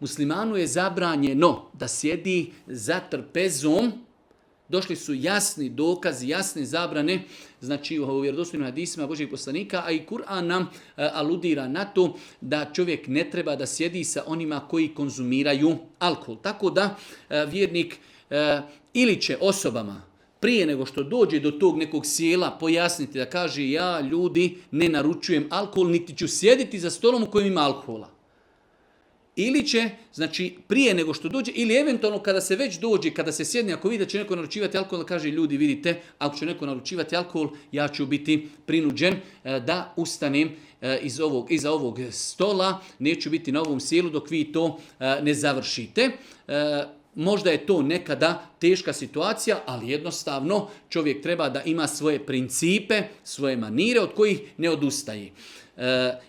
Muslimanu je zabranjeno da sjedi za trpezom. Došli su jasni dokazi, jasne zabrane, znači u vjerodostojnim hadisima Božjeg poslanika, a i Kur'an nam aludira na to da čovjek ne treba da sjedi sa onima koji konzumiraju alkohol. Tako da vjernik ili će osobama prije nego što dođe do tog nekog sjela pojasniti da kaže ja ljudi ne naručujem alkohol, niti ću sjediti za stolom u kojem ima alkohola. Ili će, znači prije nego što dođe, ili eventualno kada se već dođe, kada se sjedne, ako vidi da će neko naručivati alkohol, kaže ljudi vidite, ako će neko naručivati alkohol, ja ću biti prinuđen da ustanem iza ovog stola, neću biti na ovom sjelu dok vi to ne završite. Možda je to nekada teška situacija, ali jednostavno čovjek treba da ima svoje principe, svoje manire od kojih ne odustaje.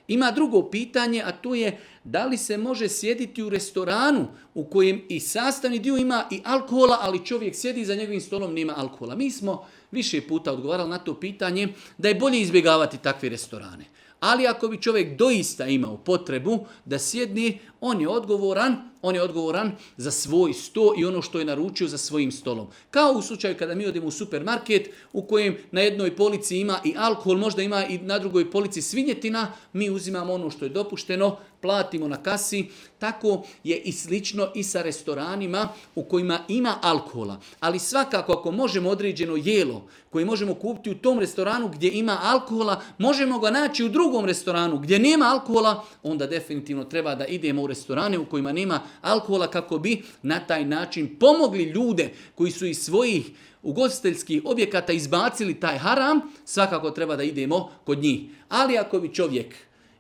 Ima drugo pitanje, a to je da li se može sjediti u restoranu u kojem i sastavni dio ima i alkohola, ali čovjek sjedi za njegovim stolom nema alkohola. Mi smo više puta odgovarali na to pitanje da je bolje izbjegavati takve restorane. Ali ako bi čovjek doista imao potrebu da sjedne, on je odgovoran za svoj sto i ono što je naručio za svojim stolom. Kao u slučaju kada mi odemo u supermarket u kojem na jednoj polici ima i alkohol, možda ima i na drugoj polici svinjetina, mi uzimamo ono što je dopušteno, platimo na kasi. Tako je i slično i sa restoranima u kojima ima alkohola. Ali svakako ako možemo određeno jelo koje možemo kupiti u tom restoranu gdje ima alkohola, možemo ga naći u drugom restoranu gdje nema alkohola, onda definitivno treba da idemo u restorane u kojima nema alkohola kako bi na taj način pomogli ljude koji su iz svojih ugostiteljskih objekata izbacili taj haram, svakako treba da idemo kod njih. Ali ako bi čovjek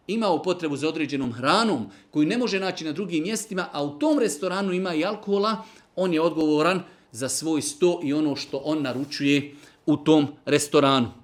imao potrebu za određenom hranom koju ne može naći na drugim mjestima, a u tom restoranu ima i alkohola, on je odgovoran za svoj sto i ono što on naručuje u tom restoranu.